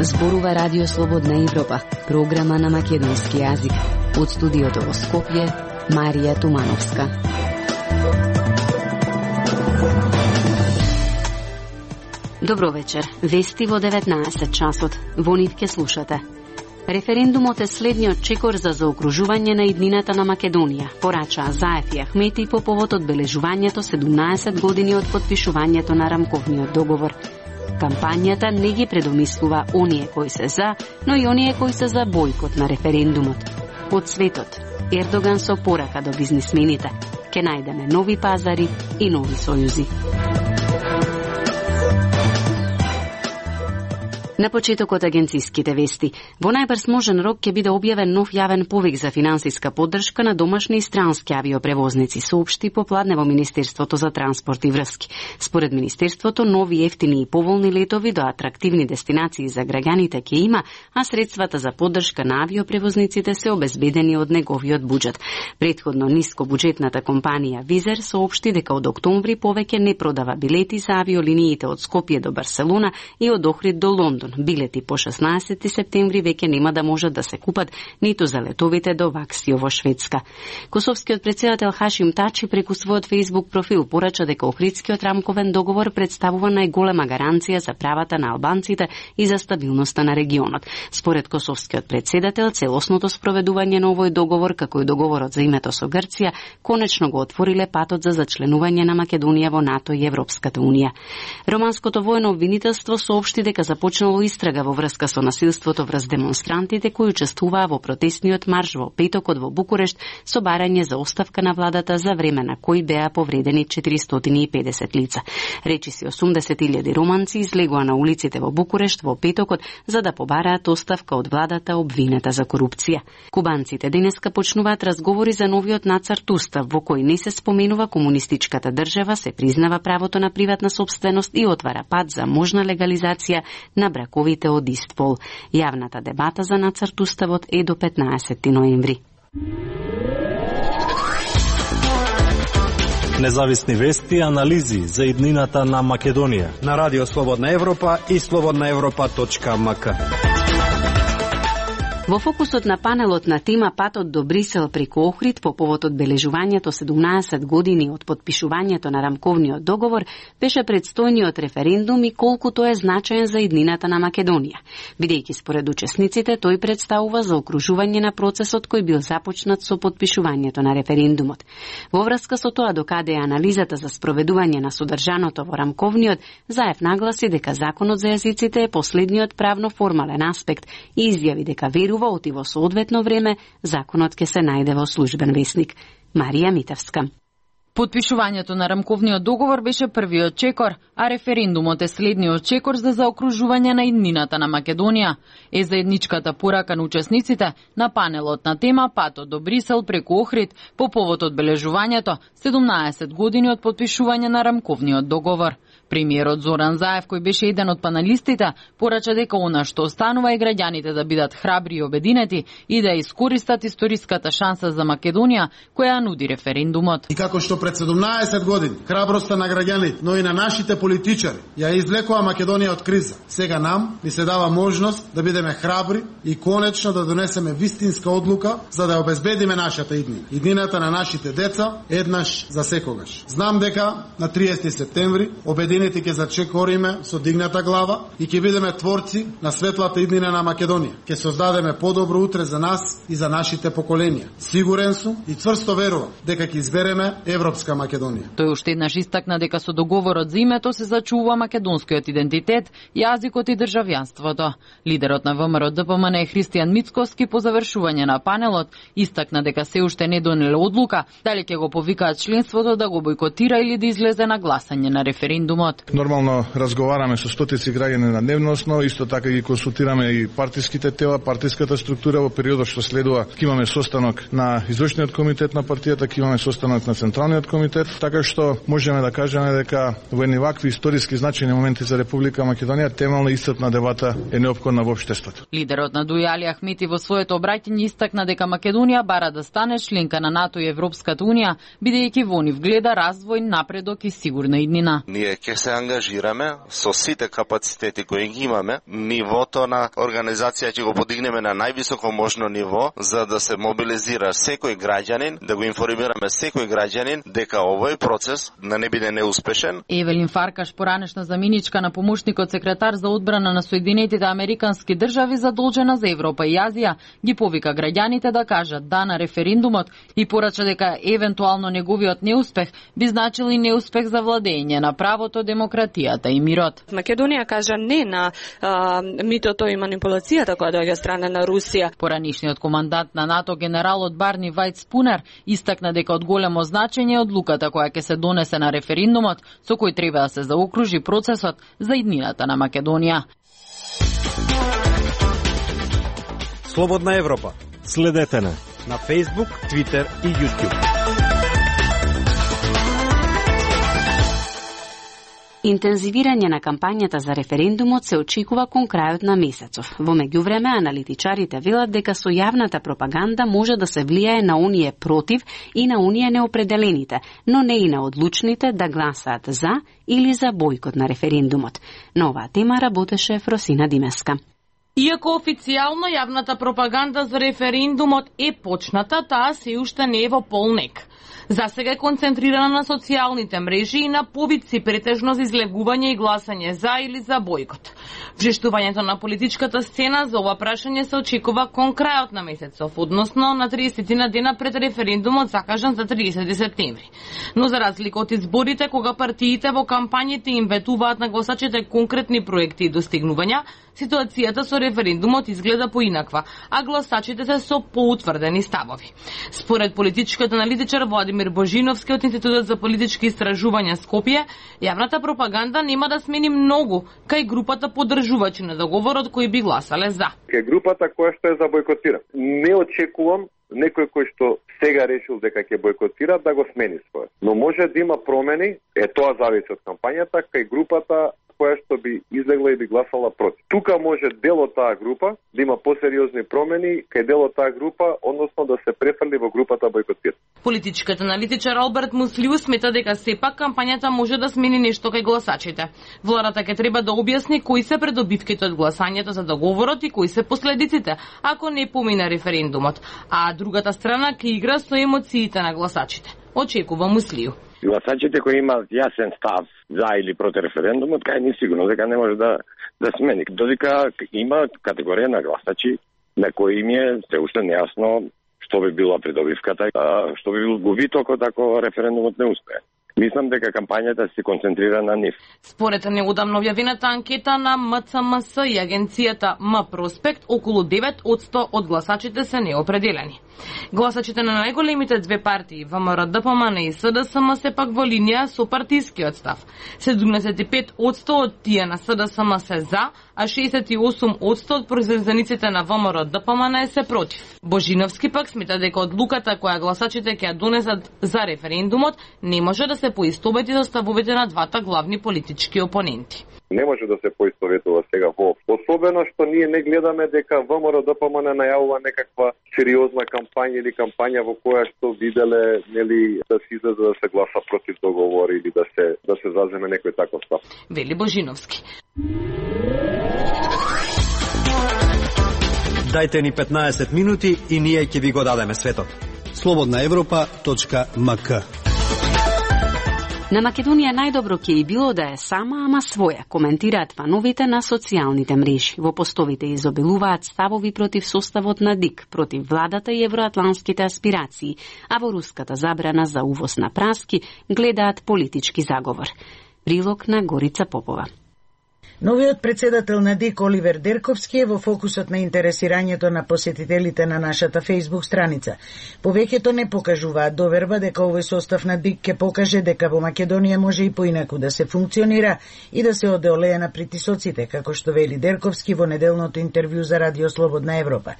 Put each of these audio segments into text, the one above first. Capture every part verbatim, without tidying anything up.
Зборува Радио Слободна Европа, програма на македонски јазик. Од студиото во Скопје, Марија Тумановска. Добро вечер. Вести во деветнаесет часот. Во нив ке слушате. Референдумот е следниот чекор за заокружување на иднината на Македонија, порачаа Заев и Ахмети по повод одбележувањето седумнаесет години од потпишувањето на рамковниот договор. Кампањата не ги предомислува оние кои се за, но и оние кои се за бојкот на референдумот. Од светот, Ердоган со порака до бизнисмените. Ке најдеме нови пазари и нови сојузи. На почетокот агенциските вести. Во најбрз можен рок ќе биде објавен нов јавен повик за финансиска поддршка на домашни и странски авиопревозници, соопшти попладне во Министерството за транспорт и врски. Според Министерството, нови ефтини и поволни летови до атрактивни дестинации за граѓаните ќе има, а средствата за поддршка на авиопревозниците се обезбедени од неговиот буџет. Претходно нискобуџетната компанија Визер соопшти дека од октомври повеќе не продава билети за авиолиниите од Скопје до Барселона и од Охрид до Лондон. Билети по шеснаесети септември веќе нема да можат да се купат ниту за летовите до Ваксио во Шведска. Косовскиот претседател Хашим Тачи преку својот Facebook профил порача дека Охридскиот рамковен договор представува најголема гаранција за правата на албанците и за стабилноста на регионот. Според косовскиот претседател, целосното спроведување на овој договор, како и договорот за името со Грција, конечно го отвориле патот за зачленување на Македонија во НАТО и Европската унија. Романското воено обвинителство соопшти дека започнало истрага во врска со насилството врз демонстрантите кои учествуваа во протестниот марш во петокот во Букурешт со барање за оставка на владата за време на кои беа повредени четиристотини и педесет лица. Речиси осумдесет илјади романци излегоа на улиците во Букурешт во петокот за да побараат оставка од владата обвинета за корупција. Кубанците денеска почнуваат разговори за новиот нацрт устав во кој не се споменува комунистичката држава, се признава правото на приватна сопственост и отвара пат за можна легализација на браковите од ист пол. Јавната дебата за нацрт уставот е до петнаесети ноември. Независни вести и анализи за иднината на Македонија на Радио Слободна Европа и слободна европа точка ем ка. Во фокусот на панелот на тема Патот до Брисел преку Охрид по повод одбележувањето седумнаесет години од потпишувањето на рамковниот договор беше предстојниот референдум и колку тој е значаен за иднината на Македонија. Бидејќи според учесниците тој представува за окружување на процесот кој бил започнат со потпишувањето на референдумот. Во врска со тоа докаде е анализата за спроведување на содржаното во рамковниот, Заев нагласи дека законот за јазиците е последниот правно формален аспект и изјави дека верува оти во соодветно време законот ќе се најде во службен весник. Марија Митевска. Потпишувањето на рамковниот договор беше првиот чекор, а референдумот е следниот чекор за заокружување на иднината на Македонија. Е заедничката порака на учесниците на панелот на тема Патот до Брисел преку Охрид по повод одбележувањето седумнаесет години од потпишување на рамковниот договор. Премиерот Зоран Заев, кој беше еден од паналистите, порача дека она што останува е граѓаните да бидат храбри и обединети и да искористат историската шанса за Македонија која нуди референдумот. И како што пред седумнаесет години храброста на граѓаните, но и на нашите политичари ја извлекува Македонија од криза. Сега нам ни се дава можност да бидеме храбри и конечно да донесеме вистинска одлука за да обезбедиме нашата иднина. Иднината на нашите деца еднаш за секогаш. Знам дека на триесети септември обединените ќе зачекориме со дигната глава и ќе бидеме творци на светлата иднина на Македонија. Ќе создадеме подобро утре за нас и за нашите поколенија. Сигурен сум и цврсто верувам дека ќе избереме европска Македонија. Тој уште еднаш истакна дека со договорот за името се зачува македонскиот идентитет, јазикот и државјанството. Лидерот на ВМРО Д П М Н Христијан Мицкоски по завршување на панелот истакна дека се уште не донеле одлука дали ќе го повикаат членството да го бойкотира или да излезе на гласање на референдумот. Нормално разговараме со стотици граѓани на дневно основа, исто така ги консултираме и партиските тела, партиската структура. Во периодот што следува ќе имаме состанок на извршниот комитет на партијата, ќе имаме состанок на централниот комитет, така што можеме да кажеме дека во едни вакви историски значајни моменти за Република Македонија темелна истрпна дебата е неопходна во општеството. Лидерот на Дуј Али Ахмети во своето обраќање истакна дека Македонија бара да стане членка на НАТО и Европската унија, бидејќи во нив гледа развој, напредок и сигурна иднина. Ние ќе ќе се ангажираме со сите капацитети кои ги имаме, нивото на организација ќе го подигнеме на највисоко можно ниво, за да се мобилизира секој граѓанин, да го информираме секој граѓанин дека овој процес да не биде неуспешен. Евелин Фаркаш, поранешна заменичка на помошникот секретар за одбрана на Соединетите Американски држави задолжена за Европа и Азија, ги повика граѓаните да кажат да на референдумот и порача дека евентуално неговиот неуспех би значил и неуспех за владење на правото, демократијата и мирот. Македонија кажа не на а, митото и манипулацијата која доаѓа страна на Русија. Поранишниот командант на НАТО генералот Барни Вајт Спунер истакна дека од големо значење одлуката која ќе се донесе на референдумот со кој треба да се заокружи процесот за иднината на Македонија. Слободна Европа. Следете на на Facebook, Twitter и YouTube. Интензивирање на кампањата за референдумот се очекува кон крајот на месецов. Во меѓувреме, аналитичарите велат дека со јавната пропаганда може да се влијае на оние против и на оние неопределените, но не и на одлучните да гласаат за или за бојкот на референдумот. На оваа тема работеше Фросина Димеска. Иако официјално јавната пропаганда за референдумот е почната, таа се уште не е во полнек. За сега е концентрирана на социјалните мрежи и на повици претежно за излегување и гласање за или за бојкот. Вжештувањето на политичката сцена за ова прашање се очекува кон крајот на месецов, односно на триесет на дена пред референдумот закажан за триесети септември. Но за разлика од изборите, кога партиите во кампањите им ветуваат на гласачите конкретни проекти и достигнувања, ситуацијата со референдумот изгледа поинаква, а гласачите се со поутврдени ставови. Според политичкиот аналитичар Владимир Божиновски од Институтот за политички истражувања Скопје, јавната пропаганда нема да смени многу кај групата поддржувачи на договорот кои би гласале за. Кај групата која што е за бојкотира. Не очекувам некој кој што сега решил дека ќе бојкотира да го смени својот. Но може да има промени, е тоа зависи од кампањата, кај групата која што би излегла и би гласала против. Тука може дел од таа група да има посериозни промени, кај дел од таа група, односно да се префрли во групата бојкотира. Политичкиот аналитичар Алберт Муслиу смета дека сепак кампањата може да смени нешто кај гласачите. Владата ќе треба да објасни кои се придобивките од гласањето за договорот и кои се последиците ако не помине референдумот, а другата страна ќе игра со емоциите на гласачите. Очекува Муслиу. Гласачите кои имаат јасен став за или против референдумот, кај не сигурно дека не може да да смени. Додека има категорија на гласачи на кои им е се уште нејасно што би била придобивката, што би бил губитокот ако референдумот не успее. Мислам дека кампањата се концентрира на нив. Според неудамно објавената анкета на М Ц М С и агенцијата М Проспект, околу девет одсто од гласачите се неопределени. Гласачите на најголемите две партии, В М Р Д П М Н и С Д С М, се пак во линија со партискиот став. седумдесет и пет одсто од тие на С Д С М се за, а шеесет и осум одсто од произведениците на В М Р Д П М Н се против. Божиновски пак смета дека одлуката која гласачите ќе ја донесат за референдумот не може да се поистовети со ставовите на двата главни политички опоненти. Не може да се поистоветува сега воопшто. Особено што ние не гледаме дека В М Р Д П М Н најавува некаква сериозна кампања или кампања во која што виделе нели да се излезе да се гласа против договор или да се да се заземе некој таков став. Вели Божиновски. Дајте ни петнаесет минути и ние ќе ви го дадеме светот. слободна европа точка м к. На Македонија најдобро ќе и било да е сама, ама своја, коментираат фановите на социјалните мрежи. Во постовите изобилуваат ставови против составот на ДИК, против владата и евроатланските аспирации, а во руската забрана за увоз на праски гледаат политички заговор. Прилог на Горица Попова. Новиот председател на ДИК Оливер Дерковски е во фокусот на интересирањето на посетителите на нашата Facebook страница. Повеќето не покажуваат доверба дека овој состав на ДИК ќе покаже дека во Македонија може и поинаку да се функционира и да се одолее на притисоците, како што вели Дерковски во неделното интервју за Радио Слободна Европа.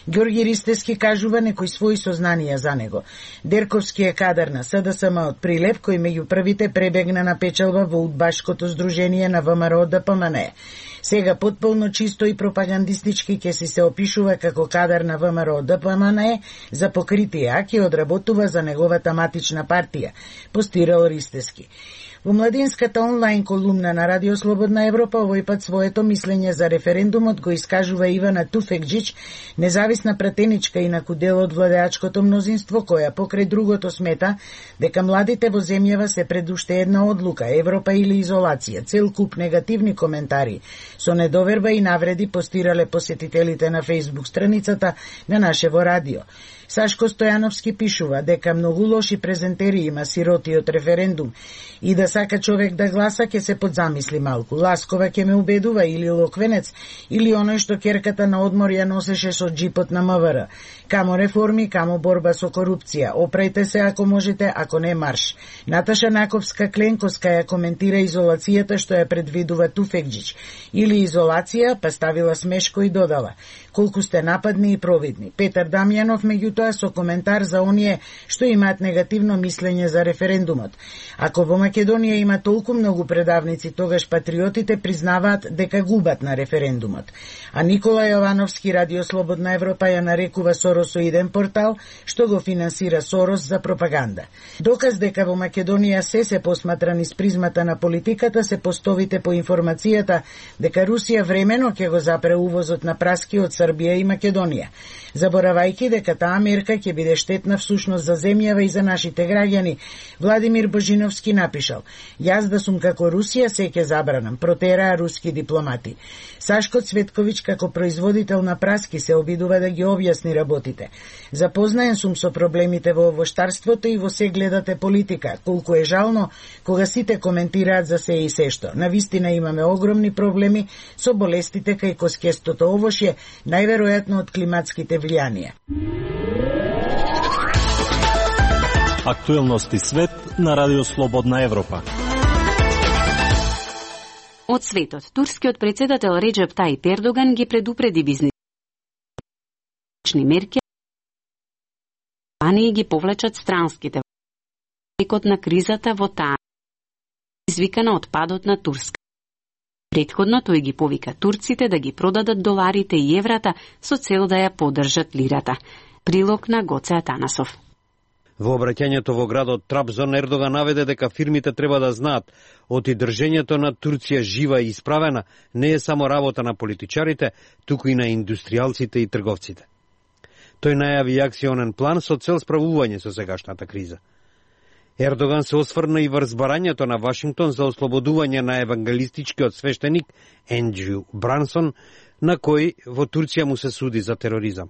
Ѓорги Ристевски кажува некои своји сознанија за него. Дерковски е кадар на С Д С М од Прилеп, кој меѓу првите пребегна на печалба во удбашкото здружение на В М Р Д П М Н. Сега потполно чисто и пропагандистички ќе си се опишува како кадар на В М Р Д П М Н за покритие, а ќе одработува за неговата матична партија, постирал Ристевски. Во младинската онлайн колумна на Радио Слободна Европа овој пат своето мислење за референдумот го искажува Ивана Туфекџиќ, независна пратеничка инаку дел од владеачкото мнозинство, која покрај другото смета дека младите во земјава се пред уште една одлука, Европа или изолација. Цел куп негативни коментари со недоверба и навреди постирале посетителите на Facebook страницата на нашево радио. Сашко Стојановски пишува дека многу лоши презентери има сиротиот референдум и да сака човек да гласа ќе се подзамисли малку. Ласкова ќе ме убедува или Локвенец или оној што керката на одмор ја носеше со джипот на МВР. Камо реформи, камо борба со корупција. Опрајте се ако можете, ако не марш. Наташа Наковска-Кленковска ја коментира изолацијата што ја предвидува Туфекџиќ. Или изолација, па ставила смешко и додала: колку сте нападни и провидни. Петар Дамјанов меѓутоа со коментар за оние што имаат негативно мислење за референдумот. Ако во Македонија има толку многу предавници, тогаш патриотите признаваат дека губат на референдумот. А Никола Јовановски, Радио Слободна Европа ја нарекува Соросоиден портал, што го финансира Сорос за пропаганда. Доказ дека во Македонија се се посматра низ призмата на политиката се постовите по информацијата дека Русија времено ќе го запре увозот на праски од Србија и Македонија, заборавајќи дека таа мерка ќе биде штетна всушност за земјава и за нашите граѓани. Владимир Божиновски напишал: јас да сум како Русија се ќе забранам, протераа руски дипломати. Сашко Цветковиќ како производител на праски се обидува да ги објасни работите. Запознаен сум со проблемите во овоштарството и во се гледате политика. Колку е жално кога сите коментираат за се и се што. Навистина имаме огромни проблеми со болестите кај коскестото овошје, најверојатно од климатските влијанија. Актуелности свет на Радио Слободна Европа. Од светот, турскиот председател Реџеп Тајип Ердоган ги предупреди бизнисни мерки и ги повлечат странските во на кризата во таа извикана од падот на Турска. Предходно тој ги повика турците да ги продадат доларите и еврата со цел да ја поддржат лирата. Прилог на Гоце Атанасов. Во обраќањето во градот Трабзон, Ердоган наведе дека фирмите треба да знаат оти држењето на Турција жива и исправена не е само работа на политичарите, туку и на индустријалците и трговците. Тој најави акционен план со цел справување со сегашната криза. Ердоган се осврна и врз барањето на Вашингтон за ослободување на евангелистичкиот свештеник Ендрю Брансон, на кој во Турција му се суди за тероризам.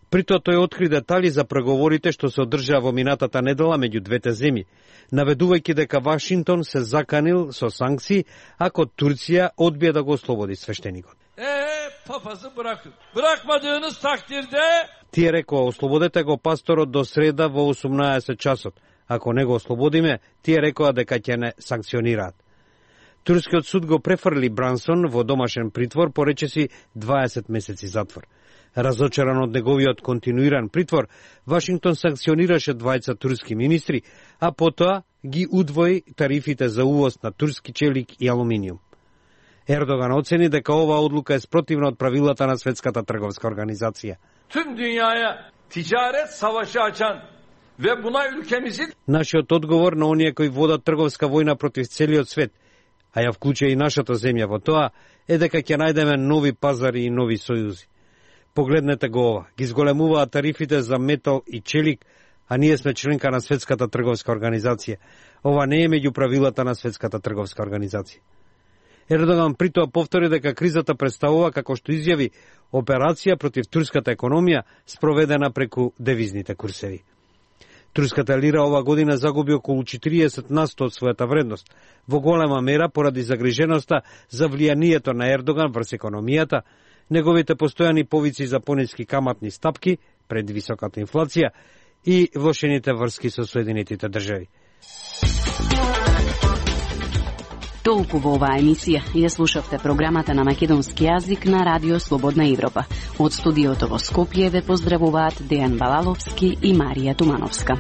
При тоа тој откри детали за преговорите што се одржаа во минатата недела меѓу двете земји, наведувајќи дека Вашингтон се заканил со санкции ако Турција одбие да го ослободи свештеникот. Е, папазы бракын. Бракмадığınız takdirde... Тие рекоа: ослободете го пасторот до среда во осумнаесет часот. Ако не го ослободиме, тие рекоа дека ќе не санкционираат. Турскиот суд го префрли Брансон во домашен притвор по речиси дваесет месеци затвор. Разочаран од неговиот континуиран притвор, Вашингтон санкционираше двајца турски министри, а потоа ги удвои тарифите за увоз на турски челик и алуминиум. Ердоган оцени дека оваа одлука е спротивна од правилата на Светската трговска организација. Tüm dünyaya ticaret savaşı açan ve buna ülkemizin... Нашиот одговор на оние кои водат трговска војна против целиот свет, а ја вклучува и нашата земја во тоа, е дека ќе најдеме нови пазари и нови сојузи. Погледнете го ова, ги зголемуваат тарифите за метал и челик, а ние сме членка на Светската трговска организација. Ова не е меѓу правилата на Светската трговска организација. Ердоган притоа повтори дека кризата представува, како што изјави, операција против турската економија спроведена преку девизните курсеви. Турската лира ова година загуби околу четириесет на сто од својата вредност, во голема мера поради загриженоста за влијанието на Ердоган врз економијата, неговите постојани повици за пониски каматни стапки пред високата инфлација и влошените врски со Соединетите држави. Толку во оваа емисија. Ја слушавте програмата на македонски јазик на Радио Слободна Европа. Од студиото во Скопје ве поздравуваат Дејан Балаловски и Марија Тумановска.